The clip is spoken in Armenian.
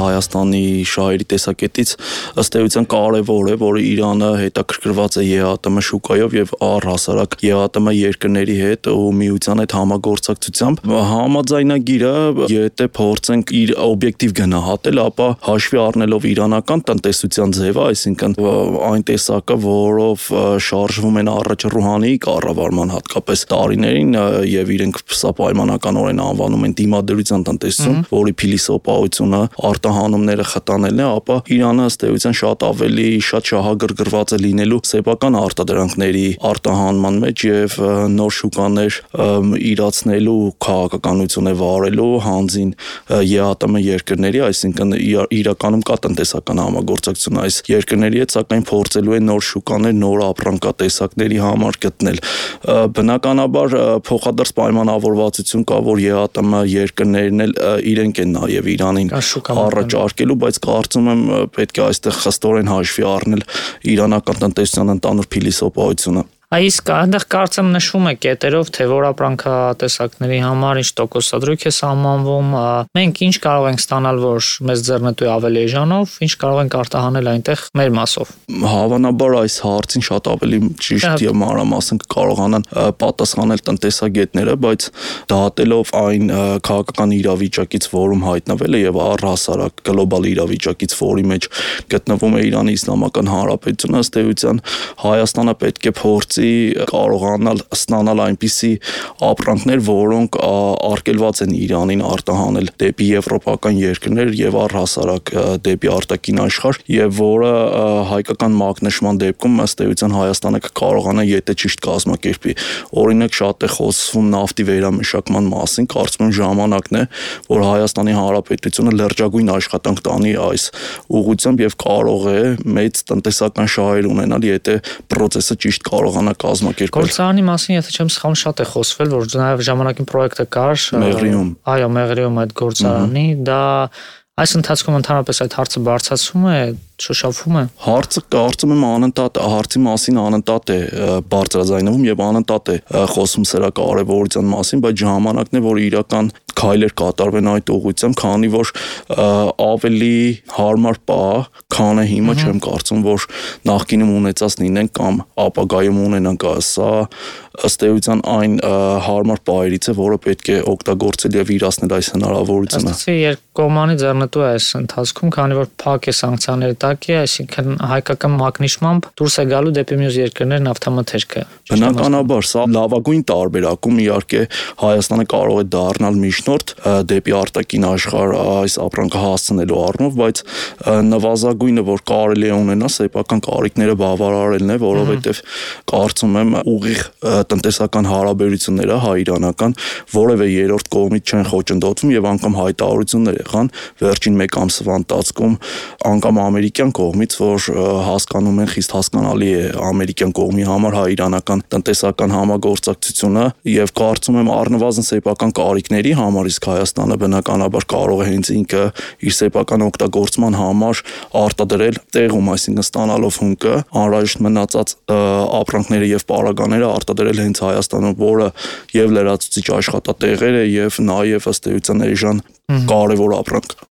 Հայաստանի շահերի տեսակետից ըստ էության կարևոր է, որ Իրանը հետաքրքրված է ԵԱՏՄ շուկայով եւ առհասարակ ԵԱՏՄ երկրների հետ ու միության հետ համագործակցությամբ։ Համաձայնագիրը, եթե փորձենք իր օբյեկտիվ գնահատել, ապա հաշվի առնելով իրանական տնտեսության ձևը, այսինքն այն տեսակը, որով շարժվում են առաջ Ռուհանիի կառավարման հատկապես տարիներին եւ իրենք սա պայմանականորեն անվանում են դիմադրության տնտեսություն, որի փիլիսոփայությունը արտահանումները խտանելն է, ապա Իրանը ըստ էության շատ ավելի շահագրգռված է լինելու սեփական արտադրանքների արտահանման մեջ եւ նոր շուկաներ իրացնելու քաղաքականություն է վարելու հանձին ԵԱՏՄ երկրների, այսինքն իրականում կա տնտեսական համագործակցություն այս երկրների հետ, սակայն փորձելու է նոր շուկաներ, նոր ապրանքատեսակների համար գտնել։ Բնականաբար փոխադարձ պայմանավորվածություն կա, որ ԵԱՏՄ երկրներն էլ իրենք են նաև Իրանին առաջարկելու, բայց կարծում եմ պետք է այստեղ խստորեն հաշվի առնել իրանական տնտեսության ընդհանուր փիլիսոփայությունը։ Իսկ այնտեղ կարծեմ նշվում է կետերով, թե որ ապրանքատեսակների համար ինչ տոկոսադրույք է սահմանվում, մենք ինչ կարող ենք ստանալ, որ մեզ ձեռնտու է ավելի էժանով, ինչ կարող ենք արտահանել այնտեղ մեր մասով։ Հավանաբար այս հարցին շատ ավելի ճիշտ եւ մանրամասն կարողանան պատասխանել տնտեսագետները, բայց դատելով այն քաղաքական իրավիճակից, որում հայտնվել է եւ առհասարակ գլոբալ իրավիճակից, որի մեջ գտնվում է Իրանի Իսլամական Հանրապետությունը, ըստ էության Հայաստանը պետք է փորձի կարողանալ ստանալ այնպիսի ապրանքներ, որոնք արգելված են Իրանին արտահանել դեպի եվրոպական երկրներ եւ առհասարակ դեպի արտաքին աշխարհ, եւ որը հայկական մակնշման դեպքում ըստ էության Հայաստանը կկարողանա, եթե ճիշտ կազմակերպի։ Օրինակ շատ է խոսվում նավթի վերամշակման մասին, կարծում եմ ժամանակն է, որ Հայաստանի Հանրապետությունը լրջագույն աշխատանք տանի այս ուղղությամբ եւ կարող է մեծ տնտեսական շահեր ունենալ, եթե process-ը ճիշտ կարողանա կազմակերպել։ Գործարանի մասին, եթե չեմ սխալվում, շատ է խոսվել, որ նաև ժամանակին պրոյեկտը կար Մեղրիում։ Այո, Մեղրիում այդ գործարանի, դա այս ընթացքում ընդհանրապես այդ հարցը բարձրացվում է, շոշափվում է։ Հարցը կարծում եմ անընդհատ հարցի մասին անընդհատ է բարձրաձայնվում եւ անընդհատ է խոսում սրա կարեւորության մասին, բայց ժամանակն է, որ իրական քայլեր կատարվեն այդ ուղղությամբ, քանի որ ավելի հարմար պահ, քան է հիմա, չեմ կարծում, որ նախկինում ունեցած լինեն կամ ապագայում ունենանք, սա ըստ էության այն հարմար պահերից է, որը պետք է օգտագործել եւ իրացնել այս հնարավորությունը։ Ըստ երկկողմանի ձեռնտու է այս ընթացքում, քանի որ փակ է սանկցիաների տակ է, այսինքն հայկական մակնիշմամբ դուրս է գալու դեպի մյուս երկրներ նավթամթերքը։ Բնականաբար սա լավագույն տարբերակում իհարկե Հայաստանը կարող է դառնալ միջնորդ դեպի արտաքին աշխարհ այս ապրանքը հասցնելու առումով, բայց նվազագույնը, որ կարելի է ունենալ, սեփական կարիքները բավարարելն է, որովհետեւ կարծում եմ ուղիղ տնտեսական հարաբերությունները հայ-իրանական որևէ երրորդ կողմից չեն խոչընդոտվում եւ անգամ հայտարարություններ եղան վերջին 1 ամսվա ընթացքում անգամ ամերիկյան կողմից, որ հասկանում են, խիստ հասկանալի է ամերիկյան կողմի համար հայ-իրանական տնտեսական համագործակցությունը եւ կարծում եմ առնվազն սեփական կարիքների համար իսկ Հայաստանը բնականաբար կարող է հենց ինքը իր սեփական օգտագործման համար արտադրել տեղում, այսինքն ստանալով հումքը անհրաժեշտ մնացած ապրանքները եւ պարագաները արտադրել հենց Հայաստանում, որը եւ լրացուցիչ աշխատատեղեր է եւ նաեւ ըստ էության էժան կարևոր ապրանք։